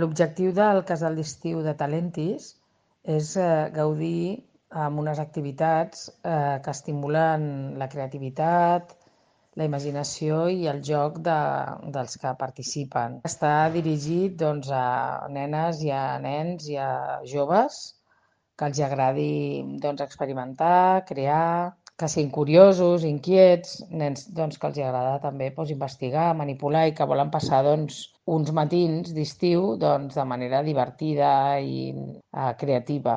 L'objectiu del casal d'estiu de Talentis és gaudir amb unes activitats que estimulen la creativitat, la imaginació i el joc dels que participen. Està dirigit a nenes i a nens i a joves que els agradi experimentar, crear, que siguin curiosos, inquiets, nens que els agrada també investigar, manipular i que volen passar uns matins d'estiu de manera divertida i creativa.